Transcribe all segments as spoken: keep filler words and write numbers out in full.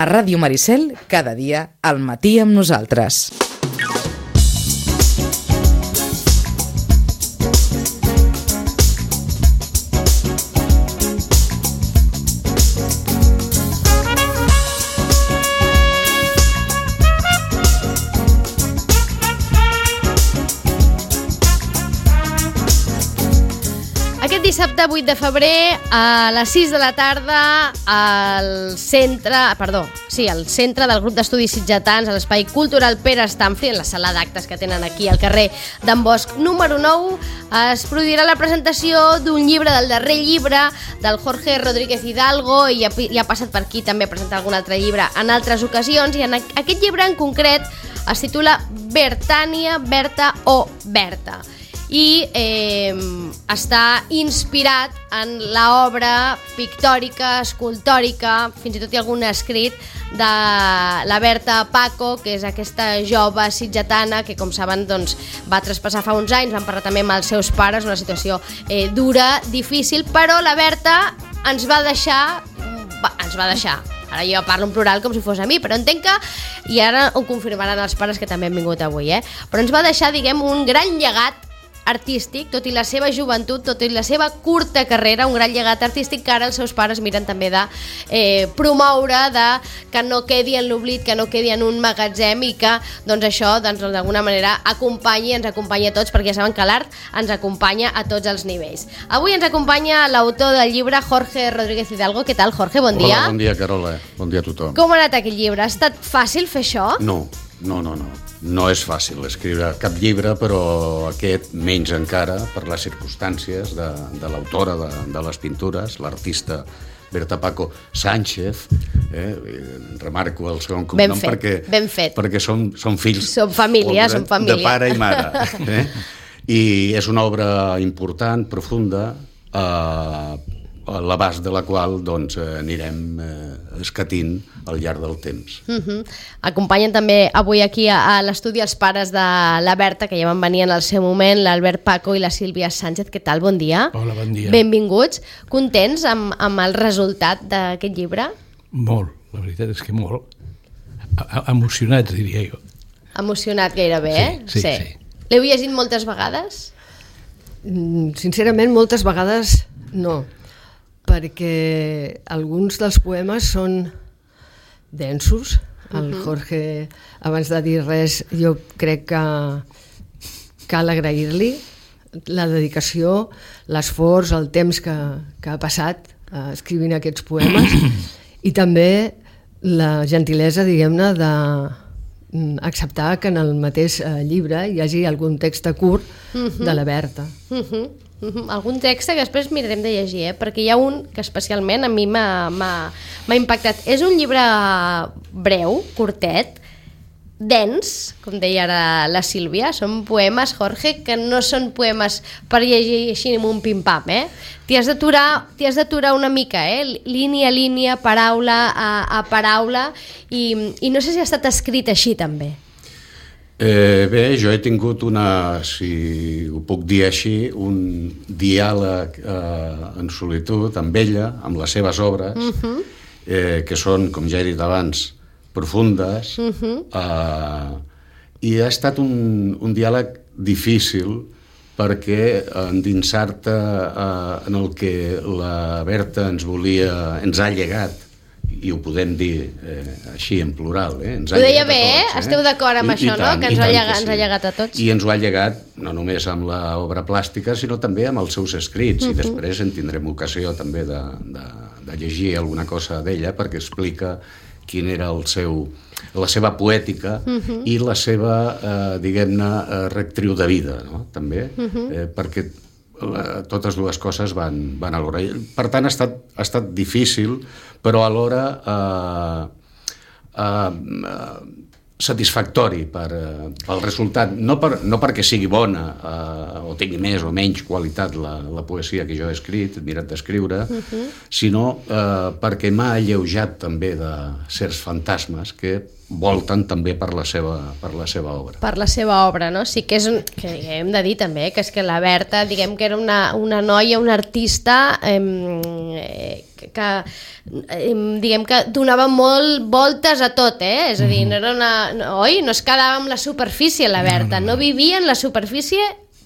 A Ràdio Maricel, cada dia, al matí amb nosaltres. Dissabte vuit de febrer a les sis de la tarda al centre, perdó, sí, al centre del grup d'estudis sitgetans a l'Espai Cultural Pere Stamfli, en la sala d'actes que tenen aquí al carrer d'en Bosch número nou, es produirà la presentació d'un llibre, del darrer llibre del Jorge Rodríguez Hidalgo, i ja, ja ha passat per aquí també a presentar algun altre llibre en altres ocasions, i en aquest llibre en concret es titula Bertània, Berta o Berta, i eh, està inspirat en l'obra pictòrica, escultòrica, fins i tot hi ha algun escrit de la Berta Paco, que és aquesta jove sitgetana que, com saben, doncs, va traspassar fa uns anys, van parlar també amb els seus pares, una situació eh, dura, difícil, però la Berta ens va deixar, va, ens va deixar, ara jo parlo en plural com si fos a mi, però entenc que, i ara ho confirmaran els pares que també han vingut avui, eh? però ens va deixar, diguem, un gran llegat artístic, tot i la seva joventut, tot i la seva curta carrera, un gran llegat artístic que ara els seus pares miren també de eh, promoure, de que no quedi en l'oblit, que no quedi en un magatzem, i que doncs això doncs, d'alguna manera acompanyi, ens acompanyi a tots, perquè ja saben que l'art ens acompanya a tots els nivells. Avui ens acompanya l'autor del llibre, Jorge Rodríguez Hidalgo. Què tal, Jorge? Bon dia. Hola, bon dia, Carola. Bon dia a tothom. Com ha anat aquest llibre? Ha estat fàcil fer això? No, no, no, no. No és fàcil escriure cap llibre, però aquest menys encara per les circumstàncies de, de l'autora de, de les pintures, l'artista Berta Paco Sánchez, eh? remarco el segon cognom ben fet, perquè, ben fet. perquè són, són fills som família, de, som família. de pare i mare. Eh? I és una obra important, profunda, eh, a l'abast de la qual doncs, anirem eh, escatint al llarg del temps. Uh-huh. Acompanyen també avui aquí a, a l'estudi els pares de la Berta, que ja van venir en el seu moment, l'Albert Paco i la Sílvia Sánchez. Què tal? Bon dia. Hola, bon dia. Benvinguts. Contents amb, amb el resultat d'aquest llibre? Molt, la veritat és que molt. A emocionats, diria jo. Emocionat gairebé, sí, eh? Sí, sí. sí. L'heu llegit moltes vegades? Mm, sincerament, moltes vegades no, perquè alguns dels poemes són densos. El Jorge, abans de dir res, jo crec que cal agrair-li la dedicació, l'esforç, el temps que, que ha passat eh, escrivint aquests poemes, i també la gentilesa, diguem-ne, de acceptar que en el mateix eh, llibre hi hagi algun text curt uh-huh. de la Berta. Uh-huh. Uh-huh. Algun text que després mirarem de llegir, eh? perquè hi ha un que especialment a mi m'ha impactat. És un llibre breu, curtet, dens, com deia ara la Sílvia. Són poemes, Jorge, que no són poemes per llegir així amb un pim-pam, eh? T'hi has d'aturar, t'hi has d'aturar una mica, eh? Línia a línia, paraula a, a paraula, i, i no sé si ha estat escrit així també. Eh, bé, jo he tingut una, si ho puc dir així, un diàleg eh, en solitud amb ella, amb les seves obres, uh-huh. eh, que són, com ja he dit abans, profundes, uh-huh. eh, i ha estat un, un diàleg difícil perquè endinsar-te eh, en el que la Berta ens volia, ens ha llegat, i ho podem dir eh, així en plural, eh? Ens ho deia bé, eh? Esteu d'acord amb I, això, i tant, no? Que ens, ha llegat, que sí. ens ha llegat a tots. I ens ho ha llegat no només amb l'obra plàstica, sinó també amb els seus escrits, uh-huh. i després en tindrem ocasió també de, de, de llegir alguna cosa d'ella, perquè explica quin era el seu, la seva poètica uh-huh. i la seva, eh, diguem-ne, rectriu de vida, no? També, uh-huh. eh, perquè la, totes dues coses van, van alhora. Per tant, ha estat, ha estat difícil, però alhora eh, eh, satisfactori per, eh, pel resultat. No, per, no perquè sigui bona eh, o tingui més o menys qualitat la, la poesia que jo he escrit, he mirat d'escriure, uh-huh. sinó eh, perquè m'ha alleujat també de certs fantasmes que volten també per la seva, per la seva obra. Per la seva obra, no? Sí que és un, que hem de dir també que és que la Berta, diguem que era una, una noia, una artista eh, que eh, diguem que donava molt voltes a tot, eh? És a dir, no era una, no, oi? No es quedava amb la superfície la Berta, no, no, no. no vivia en la superfície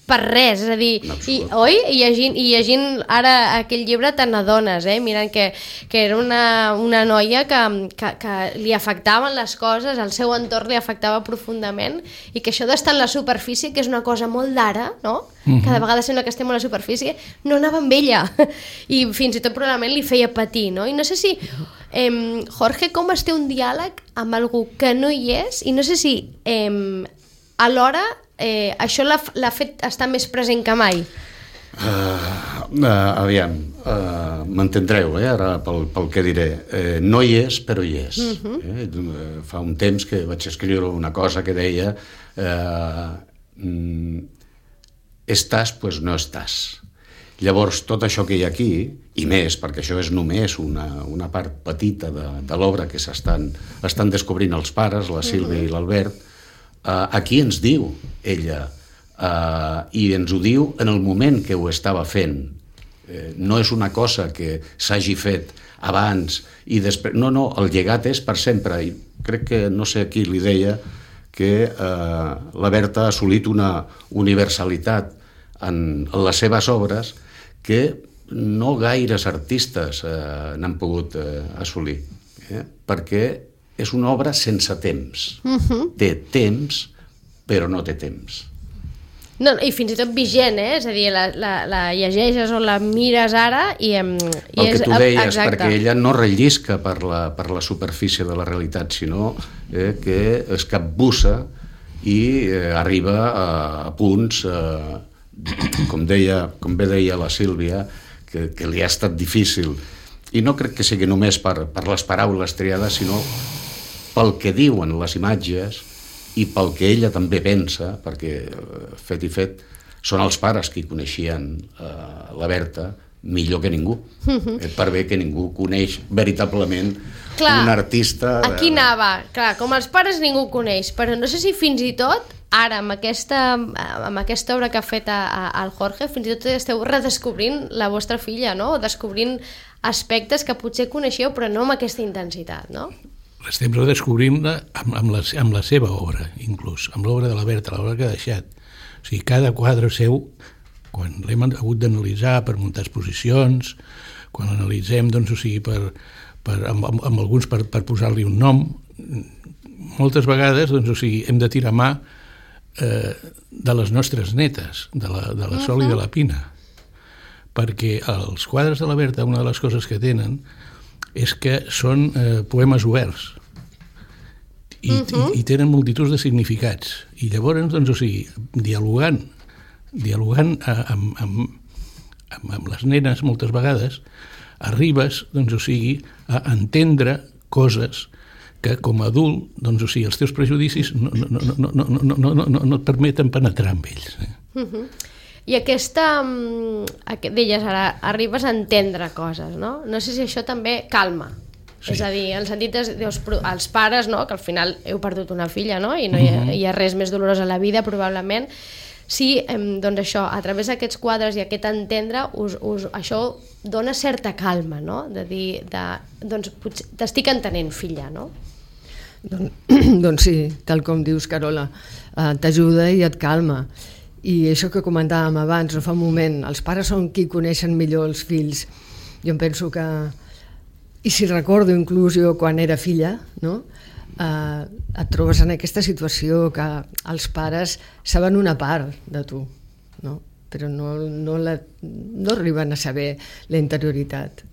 per res, és a dir, i, oi? I llegint, i llegint ara aquell llibre te n'adones, eh? Mirant que, que era una, una noia que, que, que li afectaven les coses, el seu entorn li afectava profundament, i que això d'estar en la superfície, que és una cosa molt d'ara, no? Mm-hmm. Cada vegada sembla que estem a la superfície, no anava amb ella, i fins i tot probablement li feia patir, no? I no sé si, eh, Jorge, com es té un diàleg amb algú que no hi és, i no sé si eh, alhora Eh, això l'ha, l'ha fet estar més present que mai? Uh, uh, aviam, uh, m'entendreu, eh, ara pel, pel que diré. Uh, no hi és, però hi és. Uh-huh. eh? Fa un temps que vaig escriure una cosa que deia uh, mm, estàs, pues no estàs. Llavors, tot això que hi ha aquí, i més, perquè això és només una, una part petita de, de l'obra que s'estan estan descobrint els pares, la Sílvia uh-huh. i l'Albert. Uh, aquí ens diu ella, uh, i ens ho diu en el moment que ho estava fent. Eh, no és una cosa que s'hagi fet abans i després... No, no, el llegat és per sempre. I crec que, no sé qui li deia, que uh, la Berta ha assolit una universalitat en, en les seves obres que no gaires artistes uh, n'han pogut uh, assolir. Eh? Perquè és una obra sense temps. Uh-huh. Té temps, però no té temps. No, i fins i tot vigent, eh? És a dir, la, la, la llegeixes o la mires ara i... i el que tu deies, exacte. Perquè ella no rellisca per la, per la superfície de la realitat, sinó eh, que es capbussa i eh, arriba a, a punts, eh, com, deia, com bé deia la Sílvia, que, que li ha estat difícil. I no crec que sigui només per, per les paraules triades, sinó pel que diuen les imatges i pel que ella també pensa, perquè fet i fet són els pares qui coneixien eh, la Berta millor que ningú. Uh-huh. Per bé que ningú coneix veritablement clar, un artista... Aquí anava, clar, com els pares ningú coneix, però no sé si fins i tot ara, amb aquesta, amb aquesta obra que ha fet a, a, al Jorge, fins i tot esteu redescobrint la vostra filla, no? O descobrint aspectes que potser coneixeu, però no amb aquesta intensitat, no? L'estem redescobrint amb, amb, la, amb la seva obra, inclús, amb l'obra de la Berta, l'obra que ha deixat. O sigui, cada quadre seu, quan l'hem hagut d'analitzar per muntar exposicions, quan l'analitzem, doncs, o sigui, per, per, amb, amb, amb alguns per, per posar-li un nom, moltes vegades, doncs, o sigui, hem de tirar mà eh, de les nostres netes, de la, de la Sol uh-huh. i de la Pina, perquè els quadres de la Berta, una de les coses que tenen és que són eh, poemes oberts i, uh-huh. i, i tenen multituds de significats. I llavors, doncs, o sigui, dialogant, dialogant amb, amb, amb, amb les nenes moltes vegades, arribes, doncs, o sigui, a entendre coses que com a adult, doncs, o sigui, els teus prejudicis no, no, no, no, no, no, no, no, no et permeten penetrar amb ells. Eh? Uh-huh. I aquesta, deies ara, arribes a entendre coses, no? No sé si això també calma. Sí. És a dir, en el sentit de, dius, els pares, no? Que al final heu perdut una filla, no? I no hi ha, uh-huh. hi ha res més dolorós a la vida, probablement. Sí, doncs això, a través d'aquests quadres i aquest entendre, us, us, això dona certa calma, no? De dir, de, doncs, potser t'estic entenent, filla, no? Don, doncs sí, tal com dius, Carola, eh, t'ajuda i et calma. I això que comentàvem abans, no fa un moment, els pares són qui coneixen millor els fills. Jo em penso que, i si recordo inclús jo quan era filla, no? eh, et trobes en aquesta situació que els pares saben una part de tu, no? Però no, no, la, no arriben a saber la interioritat.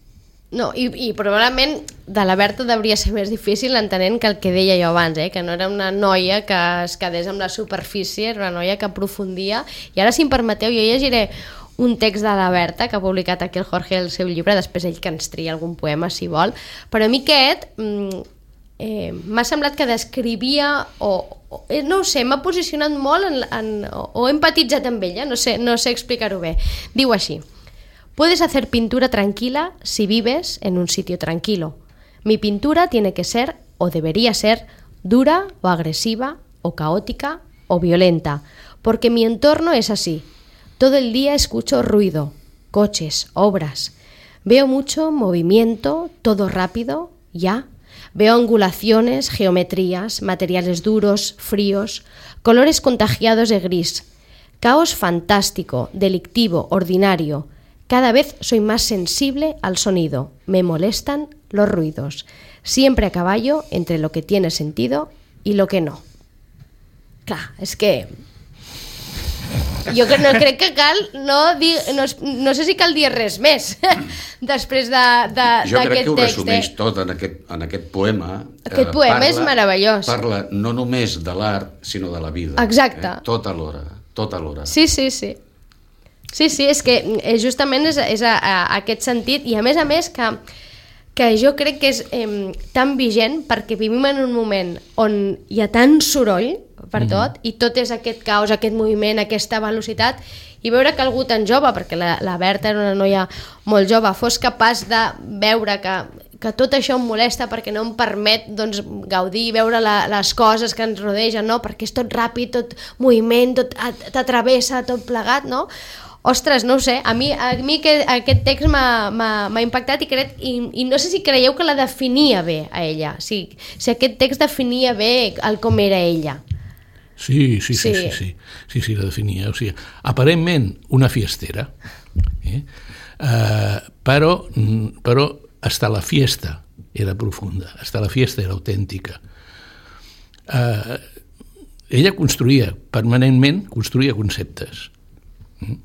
No, i, i probablement de la Berta hauria ser més difícil entenent que el que deia jo abans, eh? Que no era una noia que es quedés amb la superfície, era una noia que aprofundia. I ara, si em permeteu, jo llegiré un text de la Berta que ha publicat aquí el Jorge el seu llibre, després ell que ens tria algun poema si vol, però a mi aquest eh, m'ha semblat que descrivia o, o no ho sé, m'ha posicionat molt en, en, o, o he empatitzat amb ella, no sé, no sé explicar-ho bé. Diu així: puedes hacer pintura tranquila si vives en un sitio tranquilo. Mi pintura tiene que ser, o debería ser, dura o agresiva o caótica o violenta, porque mi entorno es así. Todo el día escucho ruido, coches, obras. Veo mucho movimiento, todo rápido, ya. Veo angulaciones, geometrías, materiales duros, fríos, colores contagiados de gris. Caos fantástico, delictivo, ordinario. Cada vez soy más sensible al sonido. Me molestan los ruidos. Siempre a caballo entre lo que tiene sentido i lo que no. Clar, és que... Jo no crec que cal... No, dir, no, no sé si cal dir res més després d'aquest text. Jo crec que ho resumeix eh? tot en aquest, en aquest poema. Aquest eh, poema parla, és meravellós. Parla no només de l'art, sinó de la vida. Exacte. Eh? Tot alhora, tot alhora. Sí, sí, sí. Sí, sí, és que justament és, és a, a aquest sentit, i a més a més que, que jo crec que és eh, tan vigent perquè vivim en un moment on hi ha tant soroll per tot, mm. i tot és aquest caos, aquest moviment, aquesta velocitat, i veure que algú tan jove, perquè la, la Berta era una noia molt jove, fos capaç de veure que, que tot això em molesta perquè no em permet doncs, gaudir i veure la, les coses que ens rodegen, no? Perquè és tot ràpid, tot moviment, tot t'atravessa, tot plegat, no? Ostres, no ho sé, a mi, a mi que, aquest text m'ha impactat i, crec, i, i no sé si creieu que la definia bé a ella, si, si aquest text definia bé el com era ella. Sí, sí, sí, sí, sí, sí, sí, sí la definia. O sigui, aparentment una fiestera, eh? uh, però, però hasta la fiesta era profunda, hasta la fiesta era autèntica. Uh, ella construïa permanentment, construïa conceptes. Mm?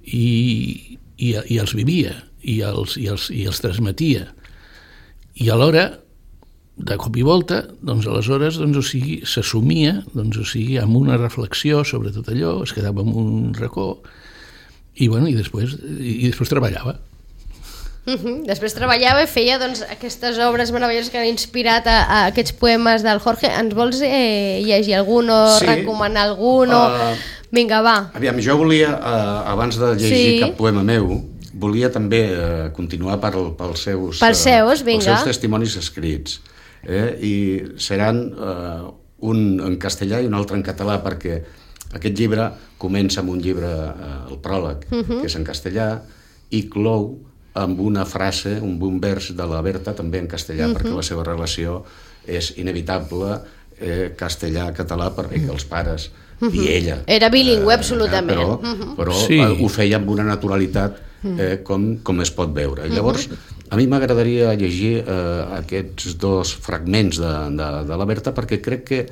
I, i, i els vivia i els, i, els, i els transmetia, i alhora de cop i volta doncs aleshores doncs, o sigui, s'assumia doncs, o sigui, amb una reflexió sobre tot allò, es quedava en un racó i, bueno, i, després, i, i després treballava. Uh-huh. Després treballava i feia doncs, aquestes obres meravelloses que han inspirat a, a aquests poemes del Jorge. Ens vols eh, llegir algun o sí. recomanar algun? O... Uh, Vinga, va. Aviam, jo volia, eh, abans de llegir sí. cap poema meu, volia també eh, continuar per, pels, seus, pels, seus, eh, pels seus testimonis escrits. Eh? I seran eh, un en castellà i un altre en català, perquè aquest llibre comença amb un llibre, eh, el pròleg, uh-huh. que és en castellà, i clou amb una frase, un bon vers de la Berta, també en castellà, uh-huh. perquè la seva relació és inevitable, eh, castellà-català, perquè els pares uh-huh. i ella... Era bilingüe, eh, absolutament. Però, uh-huh. però sí. ho feia amb una naturalitat eh, com, com es pot veure. I llavors, a mi m'agradaria llegir eh, aquests dos fragments de, de, de la Berta, perquè crec que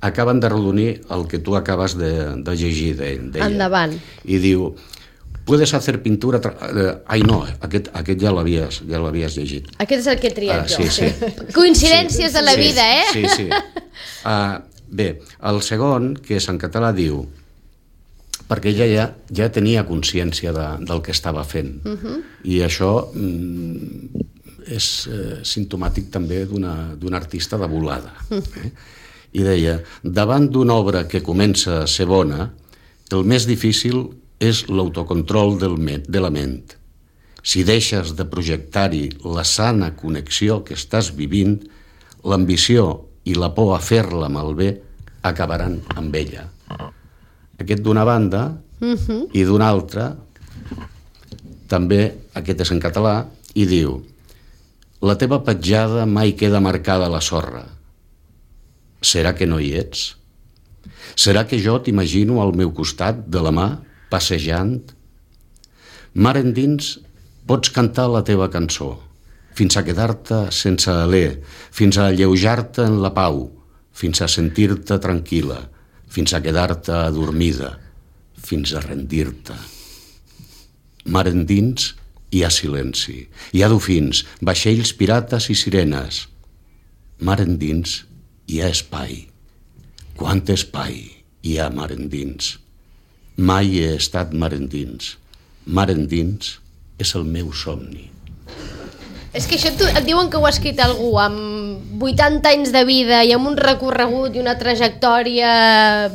acaben de redonir el que tu acabes de, de llegir d'ella. Endavant. I diu... Puedes hacer pintura... Tra... Ai, no, aquest, aquest ja l'havies ja l'havies llegit. Aquest és el que he triat uh, sí, jo. Sí. Coincidències sí. de la sí, vida, eh? Sí, sí. Uh, bé, el segon, que és en català, diu... Perquè ella ja, ja tenia consciència de, del que estava fent. Uh-huh. I això mm, és eh, simptomàtic també d'un artista de volada. Uh-huh. Eh? I deia, davant d'una obra que comença a ser bona, el més difícil és l'autocontrol del de la ment. Si deixes de projectar-hi la sana connexió que estàs vivint, l'ambició i la por a fer-la malbé acabaran amb ella. Aquest d'una banda, uh-huh. i d'una altra, també, aquest és en català, i diu: la teva petjada mai queda marcada a la sorra. Serà que no hi ets? Serà que jo t'imagino al meu costat de la mà, passejant? Mar endins, pots cantar la teva cançó, fins a quedar-te sense alè, fins a alleujar-te en la pau, fins a sentir-te tranquil·la, fins a quedar-te adormida, fins a rendir-te. Mar endins hi ha silenci, hi ha dofins, vaixells pirates i sirenes. Mar endins hi ha espai. Quant espai hi ha mar endins? Mai he estat mar endins. Mar endins és el meu somni. És que això tu, et diuen que ho ha escrit algú amb vuitanta anys de vida i amb un recorregut i una trajectòria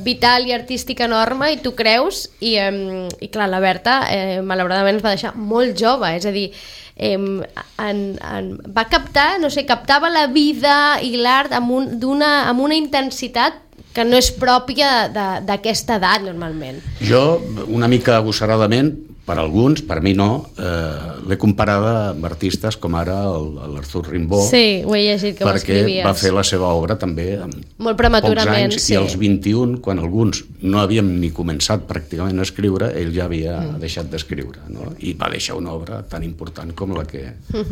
vital i artística enorme, i tu creus, i, eh, i clar, la Berta eh, malauradament es va deixar molt jove, és a dir, eh, en, en, va captar, no sé, captava la vida i l'art amb, un, d'una, amb una intensitat que no és pròpia d'aquesta edat normalment. Jo, una mica agossaradament, per alguns, per mi no, eh, l'he comparada amb artistes com ara l'Arthur Rimbaud, sí, ho he llegit, que perquè va fer la seva obra també amb molt prematurament, pocs anys, sí. I als vint-i-un, quan alguns no havíem ni començat pràcticament a escriure, ell ja havia mm. deixat d'escriure, no? I va deixar una obra tan important com la que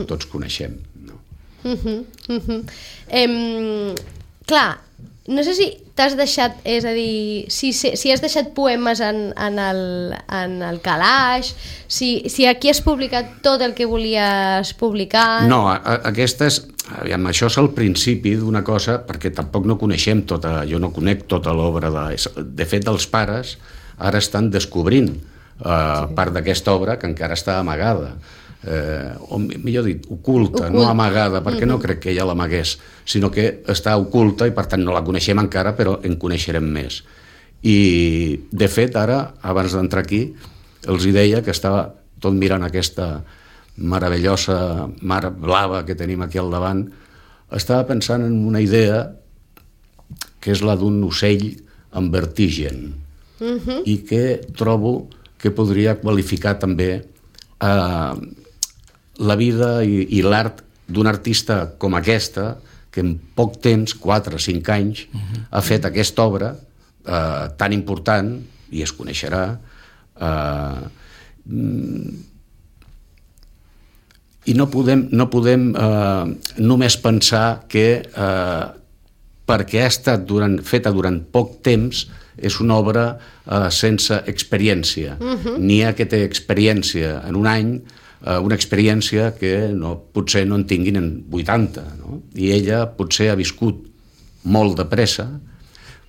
tots coneixem. No? Uh-huh, uh-huh. Em, clar, no sé si t'has deixat, és a dir, si, si has deixat poemes en, en, el, en el calaix, si, si aquí has publicat tot el que volies publicar... No, a, a, aquestes, aviam, això és el principi d'una cosa, perquè tampoc no coneixem tota, jo no conec tota l'obra de... De fet, els pares ara estan descobrint eh, sí. part d'aquesta obra que encara està amagada. Eh, o millor dit, oculta, Ocult. no amagada, perquè mm-hmm. no crec que ella l'amagués, sinó que està oculta i per tant no la coneixem encara, però en coneixerem més. I de fet ara, abans d'entrar aquí, els hi deia que estava tot mirant aquesta meravellosa mar blava que tenim aquí al davant, estava pensant en una idea que és la d'un ocell amb vertigen mm-hmm. i que trobo que podria qualificar també eh, la vida i, i l'art d'un artista com aquesta, que en poc temps, quatre o cinc anys, uh-huh. ha fet aquesta obra eh, tan important, i es coneixerà, eh, i no podem, no podem eh, només pensar que eh, perquè ha estat durant, feta durant poc temps és una obra eh, sense experiència. Uh-huh. N'hi ha que té experiència en un any, una experiència que no, potser no en tinguin en vuitanta, no? I ella potser ha viscut molt de pressa,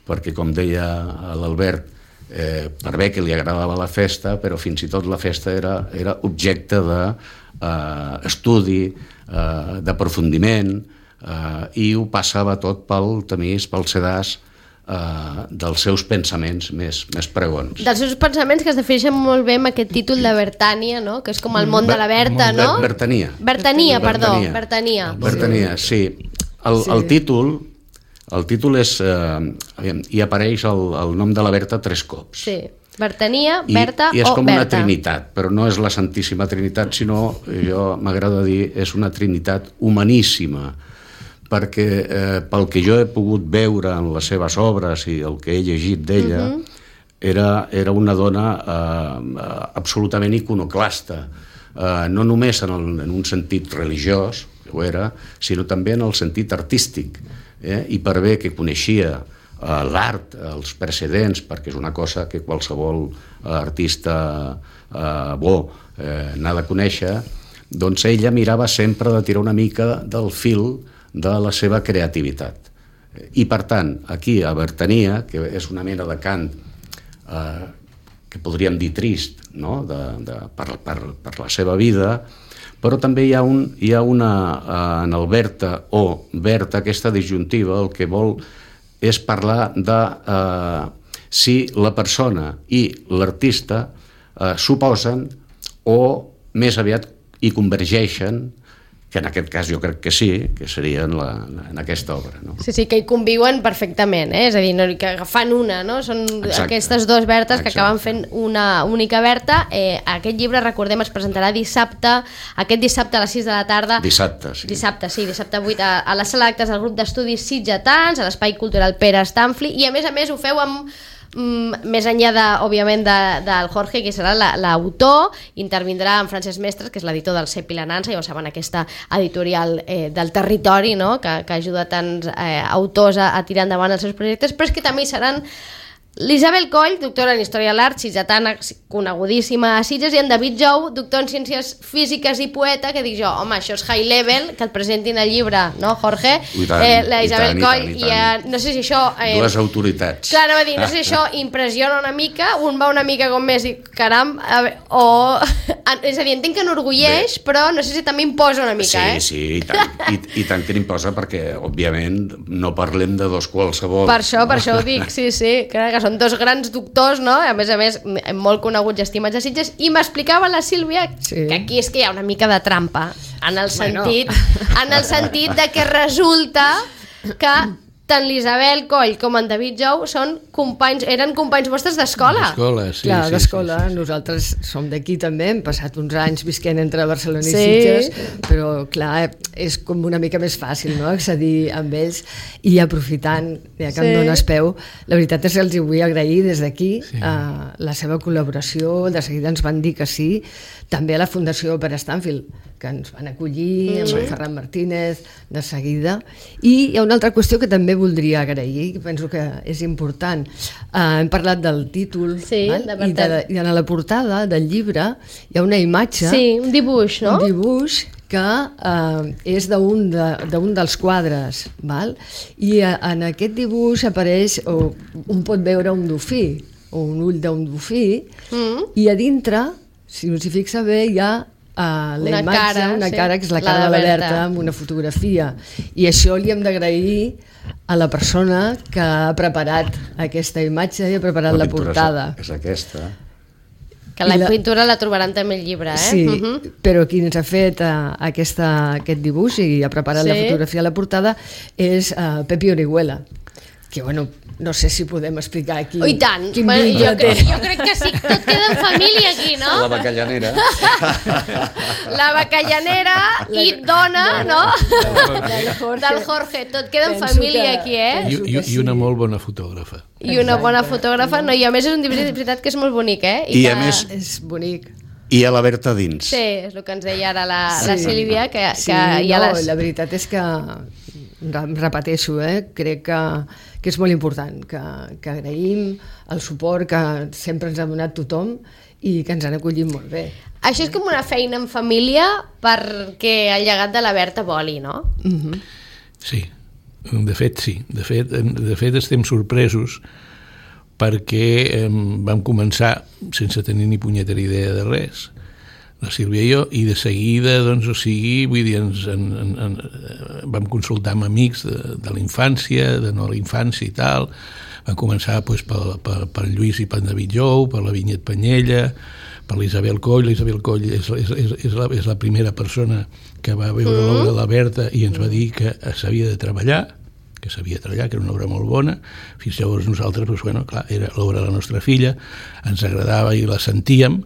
perquè com deia l'Albert, eh, per bé que li agradava la festa, però fins i tot la festa era, era objecte d'estudi, eh, eh, d'aprofundiment, eh, i ho passava tot pel tamís, pel sedàs, Uh, dels seus pensaments més, més pregons. Dels seus pensaments que es defineixen molt bé amb aquest títol de Bertània, no? Que és com el món de la Berta, no? Bertania. Bertania, perdó. Bertania. Bertania, sí. El, sí. el títol, el títol és... Eh, hi apareix el, el nom de la Berta tres cops. Sí. Bertania, Berta o Berta. I és com una trinitat, però no és la Santíssima Trinitat, sinó, jo m'agrada dir, és una trinitat humaníssima, perquè eh, pel que jo he pogut veure en les seves obres i el que he llegit d'ella, uh-huh. era, era una dona eh, absolutament iconoclasta, eh, no només en, el, en un sentit religiós, que ho era, sinó també en el sentit artístic, eh? I per bé que coneixia eh, l'art, els precedents, perquè és una cosa que qualsevol eh, artista eh, bo eh, n'ha de conèixer, doncs ella mirava sempre de tirar una mica del fil de la seva creativitat. I per tant, aquí a Bertania, que és una mena de cant eh, que podríem dir trist, no? de, de, per, per, per la seva vida, però també hi ha, un, hi ha una, eh, en el Berta o Berta, aquesta disjuntiva, el que vol és parlar de eh, si la persona i l'artista eh, s'oposen o més aviat hi convergeixen, que en aquest cas jo crec que sí, que seria en, la, en aquesta obra. No? Sí, sí, que hi conviuen perfectament, eh? És a dir, no, que fan una, no? Són Exacte. Aquestes dues Bertes que Exacte. Acaben fent una única Berta. Eh, aquest llibre, recordem, es presentarà dissabte, aquest dissabte a les sis de la tarda. Dissabte, sí. Dissabte, sí, dissabte vuit, a, a la sala d'actes del grup d'estudis sitgetans, a l'Espai Cultural Pere Stamfli, i a més a més ho feu amb Mm, més enllà, de, òbviament, de, del Jorge, que serà l'autor, intervindrà en Francesc Mestres, que és l'editor del Cep i la Nansa, ja ho saben, aquesta editorial eh, del territori, no? que, que ajuda tants eh, autors a, a tirar endavant els seus projectes, però és que també hi seran L'Isabel Coll, doctora en Història de l'Art, sitgetana conegudíssima a Sitges, i en David Jou, doctor en Ciències Físiques i poeta, que dic jo, home, això és high level, que et presentin el llibre, no, Jorge? I tant, eh, la i Isabel tant, Coll, i tant, i i, tant. eh, no sé si això... Eh, Dues autoritats. Clar, no, dir, no sé si això impressiona una mica, un va una mica com més i caram, a veure, o... És a dir, entenc que enorgulleix, però no sé si també imposa una mica, sí, eh? Sí, sí, i tant, i, i tant que n'imposa, perquè, òbviament, no parlem de dos qualsevol. Per això, per això ho dic, sí, sí, que, que són dos grans doctors, no? A més a més, molt coneguts i estimats a Sitges, i m'explicava la Sílvia Sí. que aquí és que hi ha una mica de trampa, en el sentit, Bueno. en el sentit de que resulta que tant l'Isabel Coll com en David Jou són companys, eren companys vostres d'escola. D'escola, sí. Clar, sí, d'escola, sí, sí, sí. Nosaltres som d'aquí també, hem passat uns anys visquent entre Barcelona i Sí. Sitges, però clar, és com una mica més fàcil, no?, accedir amb ells, i aprofitant, ja que Sí. em dones peu, la veritat és que els hi vull agrair des d'aquí Sí. eh, la seva col·laboració, de seguida ens van dir que sí, també a la Fundació Pere Stanfield, que ens van acollir, amb el Ferran Martínez, de seguida. I hi ha una altra qüestió que també voldria agrair, que penso que és important. Uh, hem parlat del títol, Sí, val? de I, de, i en la portada del llibre hi ha una imatge, Sí, un dibuix, no? un dibuix que uh, és d'un de, d'un dels quadres, val? I uh, en aquest dibuix apareix, o un pot veure un dofí, o un ull d'un dofí, Mm. i a dintre, si us hi fixa bé, hi ha uh, la Una imatge, cara, una sí. cara que és la La cara de de la Berta. Berta amb una fotografia, i això li hem d'agrair a la persona que ha preparat aquesta imatge i ha preparat la, pintura portada. És, és aquesta. Que la I la- pintura la trobaran també al llibre, eh? Sí, Mhm. però qui ens ha fet uh, aquesta, aquest dibuix i ha preparat Sí. la fotografia a la portada és uh, Pepi Orihuela, que bueno, no sé si podem explicar aquí Oh, i tant, quin bueno, vincle jo, té. crec, jo crec que sí, tot queda en família aquí, no? La bacallanera. La bacallanera i dona, no? Del Jorge. Del Jorge, tot queda en Penso família que- aquí, eh? I, Penso i, que I una sí. molt bona fotògrafa. I una bona fotògrafa, no, i a més és un dibuix de veritat que és molt bonic, eh? I que... a més- És bonic. I a la Berta dins. Sí, és el que ens deia ara la, la Sí. Sílvia, que, Sí, que hi ha no, les... la veritat és que em repeteixo, eh? crec que, que és molt important, que, que agraïm el suport que sempre ens ha donat tothom i que ens han acollit molt bé. Això és com una feina en família perquè el llegat de la Berta voli, no? Mhm. Sí, de fet sí. De fet, de fet estem sorpresos perquè eh, vam començar sense tenir ni punyetera idea de res, la Sílvia i jo, i de seguida, doncs, o sigui, vull dir, ens, en, en, en, vam consultar amb amics de, de la infància, de no la infància i tal, vam començar doncs, per, per, per Lluís i per David Jou, per la Vinyet Panyella, per l'Isabel Coll. L'Isabel Coll és, és, és, és, la, és la primera persona que va veure mm. l'obra de la Berta i ens va dir que s'havia de treballar, que s'havia de treballar, que era una obra molt bona. Fins llavors nosaltres, doncs, bueno, clar, era l'obra de la nostra filla, ens agradava i la sentíem,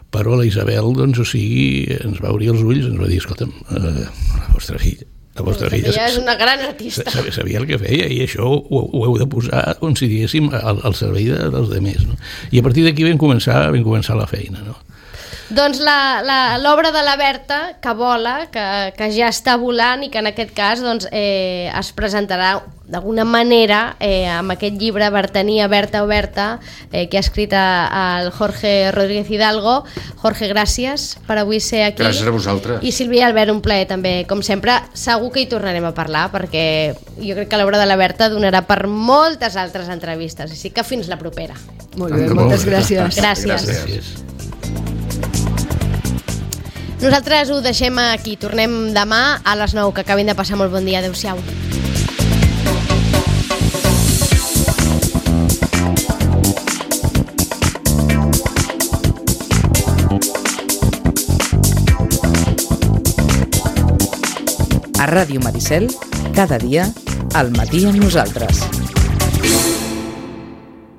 però la Isabel, doncs, o sigui, ens va obrir els ulls, ens va dir, escolta'm, eh, la vostra filla, la vostra filla Ella és una gran artista. sabia, sabia el que feia i això ho, ho heu de posar, com si diguéssim, al, al servei de, dels demés, no? I a partir d'aquí vam començar, vam començar la feina, no? Doncs l'obra de la Berta, que vola, que, que ja està volant i que en aquest cas doncs, eh, es presentarà d'alguna manera eh, amb aquest llibre Bertania, Berta o Berta, eh, que ha escrit el Jorge Rodríguez Hidalgo. Jorge, gràcies per avui ser aquí. Gràcies a vosaltres. I Sílvia i Albert, un plaer també, com sempre. Segur que hi tornarem a parlar, perquè jo crec que l'obra de la Berta donarà per moltes altres entrevistes, així que fins la propera. Molt bé, moltes gràcies. Gràcies. Gràcies. Nosaltres ho deixem aquí. Tornem demà a les nou. Que acabin de passar molt bon dia. Adéu-siau. A Ràdio Maricel, cada dia, al matí amb nosaltres.